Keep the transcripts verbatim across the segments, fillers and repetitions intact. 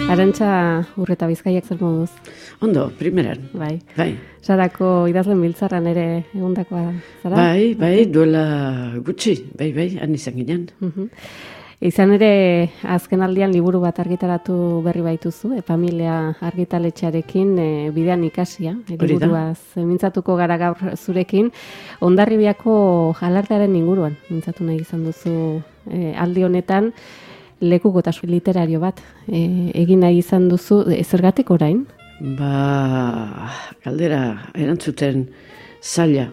Arantxa Urreta Bizkaiak zer moduz? Ondo, primeran. Bai. Bai. Sarako idazlen biltzarran ere egundakoa zara? Bai, bai, duela gutxi, bai, bai, han izan ginen. Uh-huh. Izan ere, azken aldian liburu bat argitaratu berri baituzu, e, familia argitaletxearekin e, bidean ikasia, e, liburuaz mintzatuko gara gaur zurekin. Hondarribiako alardearen inguruan mintzatu nahi izan duzu e, aldi honetan, lekukotasun literario bat e, egin nahi izan duzu, e, zergatik orain? Ba, galdera erantzuten zaila.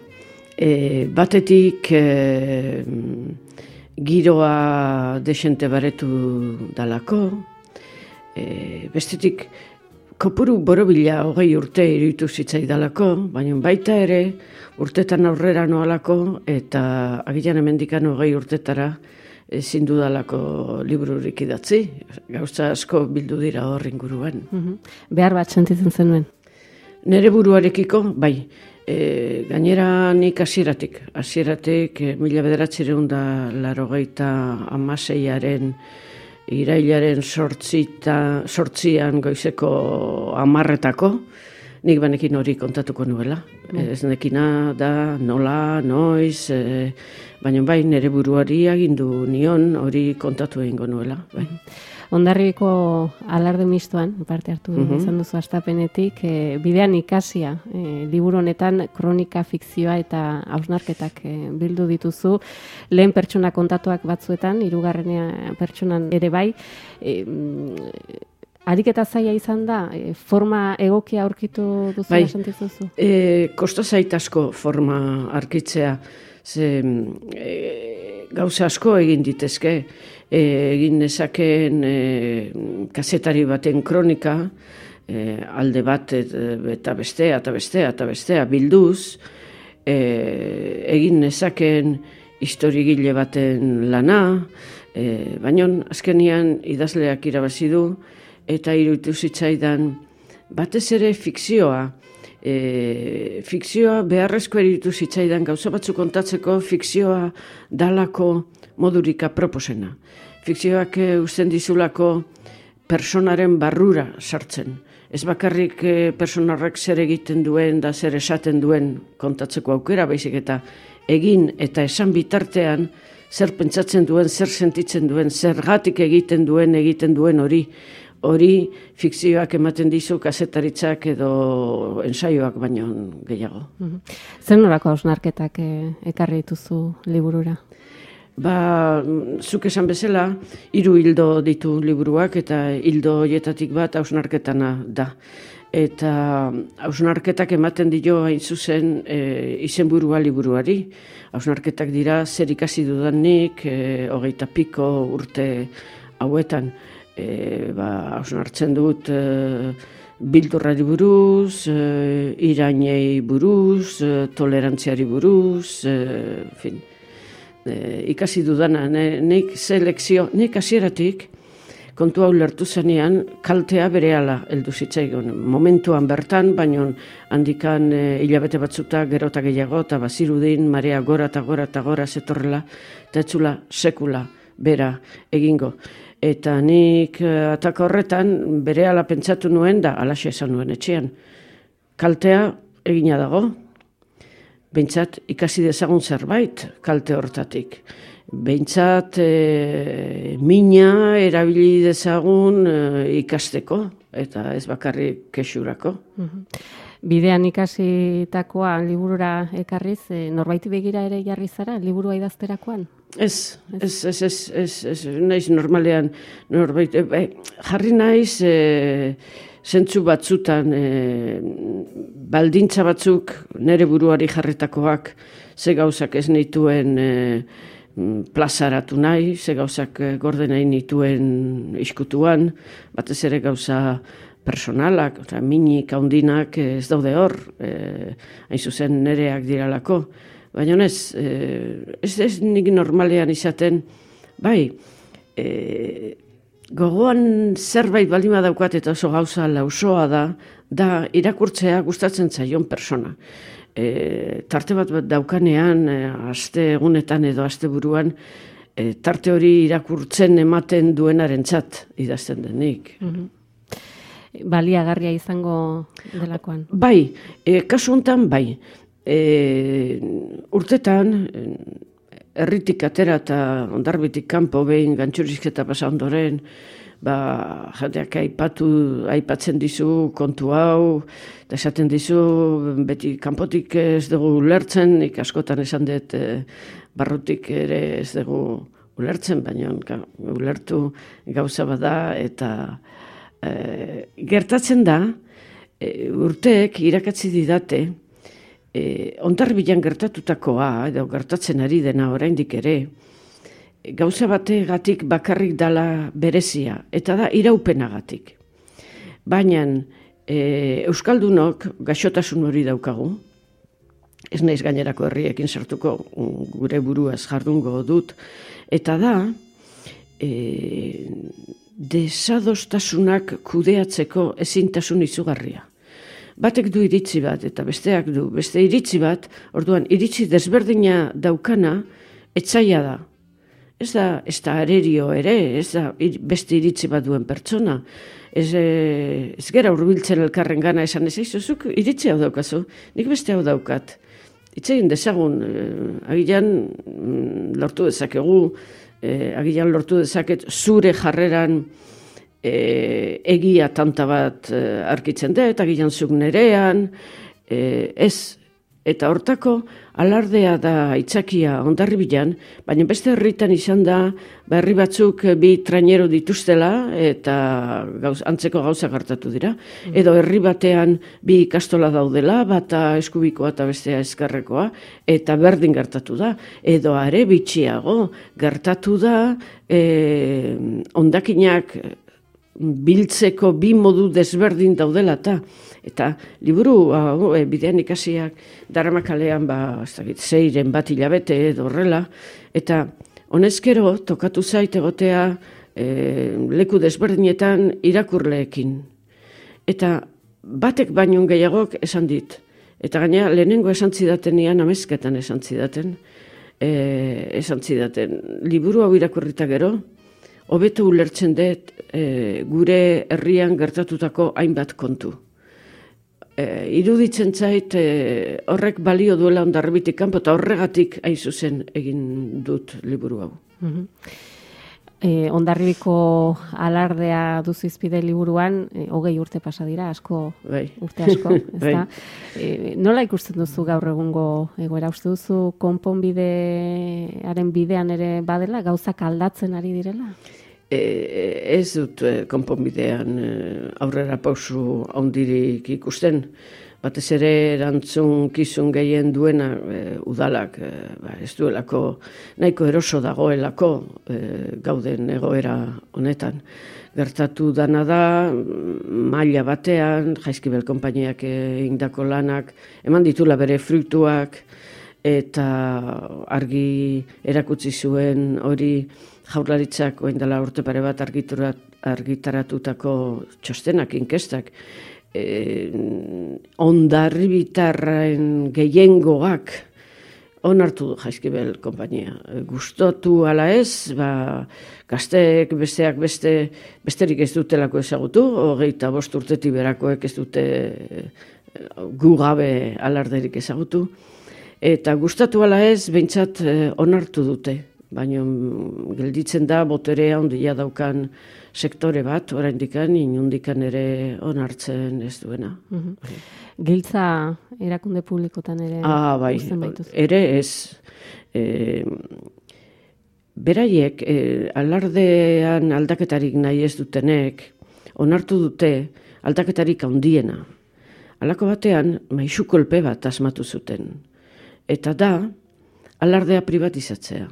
E, batetik e, giroa desente baretu dalako, e, bestetik kopuru borobila hogei urte iruditu zitzai dalako, baina baita ere urtetan aurrera noalako eta agian hemendikan hogei urtetara ezin dudalako libururik idatzi, gauza asko bildu dira hor inguruan. Uh-huh. Behar bat sentitzen zenuen? Nere buruarekiko, bai, e, gainera nik hasieratik, hasieratik e, mila bederatzireun da larogeita amaseiaren irailaren sortzita, sortzian goizeko amarretako, nik banekin hori kontatuko nuela. Mm. Ez nekina da nola, noiz, e, baina bai nire buruari agindu nion hori kontatu egingo nuela. Bai. Hondarribiko alarde mistoan, parte hartu mm-hmm. izan duzu astapenetik, e, bidean ikasia, e, liburu honetan kronika, fikzioa eta hausnarketak e, bildu dituzu, lehen pertsona kontatuak batzuetan, hirugarrenea pertsonan ere bai, e, ariketa zaila izan da, e, forma egokia aurkitu duzu bai, sentizuzu? E, kosta zait asko forma arkitzea, ze e, gauza asko egin ditezke, e, egin nezakeen e, kazetari baten kronika, e, alde bat et, eta bestea, eta bestea, eta bestea bilduz, e, egin nezakeen historigile baten lana, e, baina azkenian idazleak irabazi du, eta iruditu zitzaidan batez ere fikzioa. E, fikzioa beharrezko iruditu zitzaidan gauza batzu kontatzeko fikzioa dalako modurika proposena. Fikzioak e, uzten dizulako personaren barrura sartzen. Ez bakarrik e, personarrak zer egiten duen da zer esaten duen kontatzeko aukera, baizik eta egin eta esan bitartean zer pentsatzen duen, zer sentitzen duen, zergatik egiten duen, egiten duen hori. Hori fikzioak ematen dizu kazetaritzak edo ensaioak baino gehiago. Uh-huh. Zer norako hausnarketak e, ekarri dituzu liburura? Ba, zuk esan bezala, hiru hildo ditu liburuak eta hildo horietatik bat hausnarketana da. Eta hausnarketak ematen dio hain zuzen e, izenburua liburuari. Hausnarketak dira zer ikasi dudanik, e, hogeita piko urte hauetan. E, ba, hausnartzen dut e, bildurrari buruz, e, irainei buruz, e, tolerantziari buruz, e, fin, e, ikasi dudana, ne, nik selekzio, nik hasieratik kontu hau lertu zenean kaltea berehala heldu zitzaigun. Momentuan bertan, baino handikan e, hilabete batzuta gerota gehiago, eta bazirudin marea gora eta gora eta gora zetorrela, eta etzula sekula bera egingo. Eta nik ataka horretan berehala pentsatu nuen da, alaxe esan nuen etxean. Kaltea egina dago, behintzat ikasi dezagun zerbait kalte hortatik. Behintzat e, mina erabili dezagun e, ikasteko, eta ez bakarrik kexurako. Uh-huh. Bidean ikasitakoa liburura ekarriz, e, norbaiti begira ere jarri zara, liburua idazterakoan? Ez, ez, ez, ez, ez, ez, naiz normalean, norbait, e, jarri naiz e, zentzu batzutan, e, baldintza batzuk nere buruari jarritakoak, ze gauzak ez nituen e, plazaratu nahi, ze gauzak gorde nahi nituen iskutuan, batez ere gauza personalak, oza, minik, handinak ez daude hor, e, hain zuzen nereak diralako. Baina ez, ez, ez nik normalean izaten, bai, e, gogoan zerbait balima daukat eta oso gauza lausoa da, da irakurtzea gustatzen zaion persona. E, tarte bat daukanean, e, aste egunetan edo aste buruan, e, tarte hori irakurtzen ematen duenarentzat idazten denik. Mm-hmm. Baliagarria izango delakoan. Bai, e, kasu honetan bai. E, urtetan, herritik atera eta Hondarribitik kanpo behin gantxurizketa pasa ondoren, ba, jateak aipatu, aipatzen dizu kontu hau, eta esaten dizu, beti kanpotik ez dugu ulertzen, nik askotan esan dut e, barrutik ere ez dugu ulertzen, baina ulertu gauza bada, eta E, gertatzen da, e, urteek irakatzi didate, e, Hondarribian gertatutakoa, edo gertatzen ari dena oraindik ere, e, gauza bategatik bakarrik dala berezia, eta da iraupenagatik. Baina e, Euskaldunok gaixotasun hori daukagu, ez naiz gainerako herriekin sartuko, gure buruaz jardungo dut, eta da, e, desadostasunak kudeatzeko ezintasun izugarria. Batek du iritzi bat, eta besteak du, beste iritzi bat, orduan, iritzi desberdina daukana, etzaia da. Ez da, ez da arerio ere, ez da beste iritzi bat duen pertsona. Ez, ez gera hurbiltzen elkarren gana esan ez zuk iritzi hau daukazu, nik beste hau daukat. Itzegin dezagun, eh, agian lortu dezakegu, Eh, agian lortu dezaket zure jarreran eh, egia tanta bat eh, arkitzen dut, agian zuk nerean, eh, ez, eta hortako alardea da aitzakia Hondarribian, baina beste herritan izan da, herri batzuk bi trainero dituztela, eta gauz, antzeko gauza gertatu dira, edo herri batean bi ikastola daudela, bata eskubikoa eta bestea ezkerrekoa, eta berdin gertatu da, edo are bitxiago gertatu da, eh, hondakinak biltzeko bi modu desberdin daudela eta eta liburu hau, e, bidean ikasiak daramakalean ba, ez dakit, zeiren bat hilabete edo horrela, eta honezkero tokatu zait egotea e, leku desberdinetan irakurleekin. Eta batek baino gehiagok esan dit, eta gaina lehenengo esan zidatenian amezketan esan zidaten, e, esan zidaten, liburu hau irakurrita gero, hobeto ulertzen dut e, gure herrian gertatutako hainbat kontu. E, iruditzen zait e, horrek balio duela Hondarribitik kanpo eta horregatik hain zuzen egin dut liburu hau. Mm-hmm. e, Hondarribiko alardea duzu izpide liburuan, e, hogei urte pasa dira, asko, bai. Urte asko, ez da? E, nola ikusten duzu gaur egungo egoera? Uste duzu konponbidearen bidean ere badela, gauzak aldatzen ari direla? E, ez dut e, konponbidean e, aurrera pausu handirik ikusten. Batez ere erantzun kizun gehien duena e, udalak e, ba, ez duelako nahiko eroso dagoelako e, gauden egoera honetan. Gertatu dana da, maila batean, Jaizkibel konpainiak egindako lanak, eman ditula bere fruituak, eta argi erakutsi zuen hori Jaurlaritzak orain dela urte pare bat argitaratutako txostenak, inkestak, e, Hondarribitarren gehiengoak onartu du Jaizkibel konpainia. Gustatu ala ez, ba, gazteek besteak beste, besterik ez dutelako ezagutu, hogeita bost urtetik berakoek ez dute gu gabe alarderik ezagutu, eta gustatu ala ez, behintzat onartu dute. Baina gelditzen da boterea handia daukan sektore bat, oraindikan inundikan ere onartzen ez duena. Mm-hmm. Giltza erakunde publikotan ere ah, bai, ere ez. E, beraiek, e, alardean aldaketarik nahi ez dutenek, onartu dute aldaketarik handiena. Halako batean, maisu kolpe bat asmatu zuten. Eta da, alardea privatizatzea.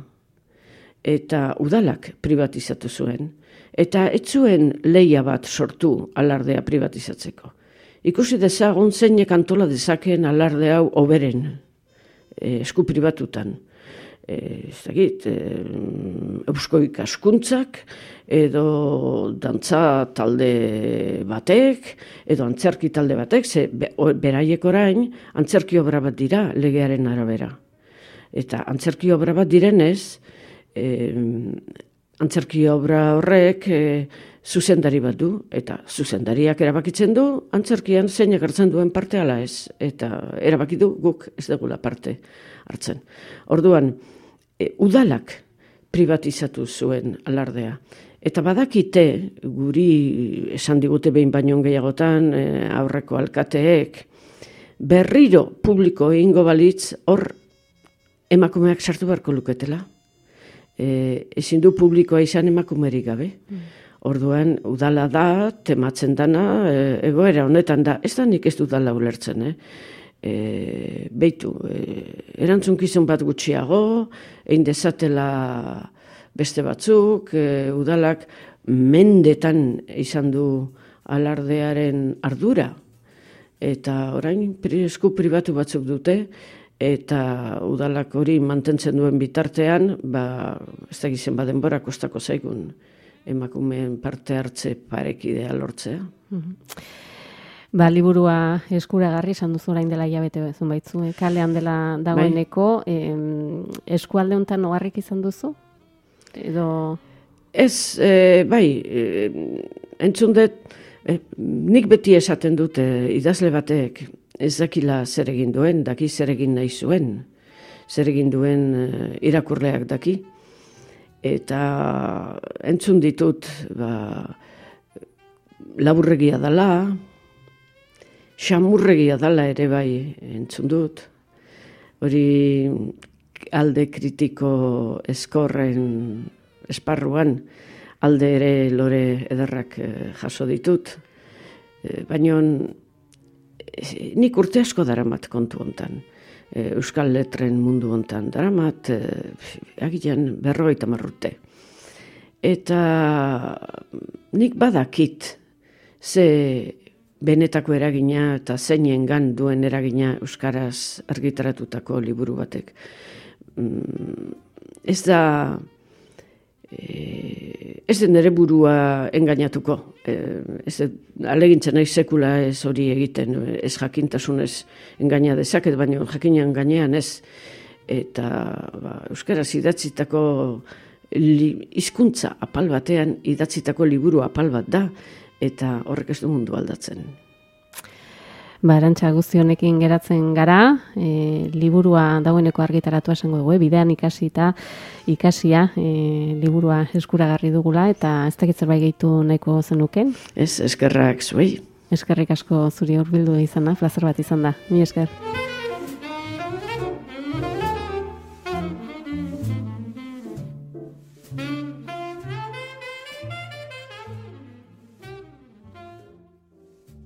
Eta udalak privatizatu zuen, eta ez zuen lehia bat sortu alardea privatizatzeko. Ikusi dezagun zeinek antola dezakeen alarde hau hoberen, e, esku pribatutan. E, ez dakit, e, eusko ikaskuntzak, edo dantza talde batek, edo antzerki talde batek, ze beraiek orain antzerki obra bat dira legearen arabera. Eta antzerki obra bat direnez, E, antzerki obra horrek e, zuzendari bat du, eta zuzendariak erabakitzen du, antzerkian zein egertzen duen parte ala ez, eta erabaki du guk ez dugula parte hartzen. Orduan, e, udalak privatizatu zuen alardea. Eta badakite, guri esan digute behin baino gehiagotan, e, aurreko alkateek, berriro publiko egingo balitz, hor emakumeak sartu beharko luketela. E, ezin du publikoa izan emakumerik gabe. Mm. Orduan, udala da, tematzen dana, e, egoera honetan da, ez da nik ez dudala ulertzen, eh? E, beitu, e, erantzunkizun bat gutxiago, egin dezatela beste batzuk, e, udalak mendetan izan du alardearen ardura, eta orain esku pribatu batzuk dute, eta udalak hori mantentzen duen bitartean, ba, ez da gizen badenbora kostako zaigun emakumeen parte hartze parekidea lortzea. Mm-hmm. Ba, liburua eskuragarri, esan duzu orain dela hilabete bezun baitzu, eh? Kalean dela dagoeneko, bai. eh, eskualde honetan oharrik izan duzu? Edo... Ez, e, bai, e, entzun dut, e, nik beti esaten dute idazle batek ez dakila zer egin duen, daki zer egin nahi zuen, zer egin duen e, irakurleak daki. Eta entzun ditut, ba, laburregia dala, xamurregia dala ere bai entzun dut. Hori alde kritiko eskorren esparruan, alde ere lore ederrak jaso ditut. Baina nik urte asko daramat kontu hontan. Euskal letren mundu hontan daramat, agian berrogeita hamar urte. Eta nik badakit ze benetako eragina eta zeinengan duen eragina euskaraz argitaratutako liburu batek. Ez da, ez den ere burua engainatuko. Ez alegintzen nahi sekula ez hori egiten, ez jakintasunez engaina dezaket, baina jakinean gainean ez. Eta ba, euskaraz idatzitako hizkuntza apal batean idatzitako liburu apal bat da, eta horrek ez du mundu aldatzen. Ba, Arantxa, guzti honekin geratzen gara, e, liburua dagoeneko argitaratu esango dugu, e, bidean ikasi eta ikasia e, liburua eskuragarri dugula, eta ez dakit zerbait gehitu nahiko zenuken? Ez, eskerrak zuei. Eskerrik asko zuri hurbildu izan da, plazer bat izan da. Mi esker.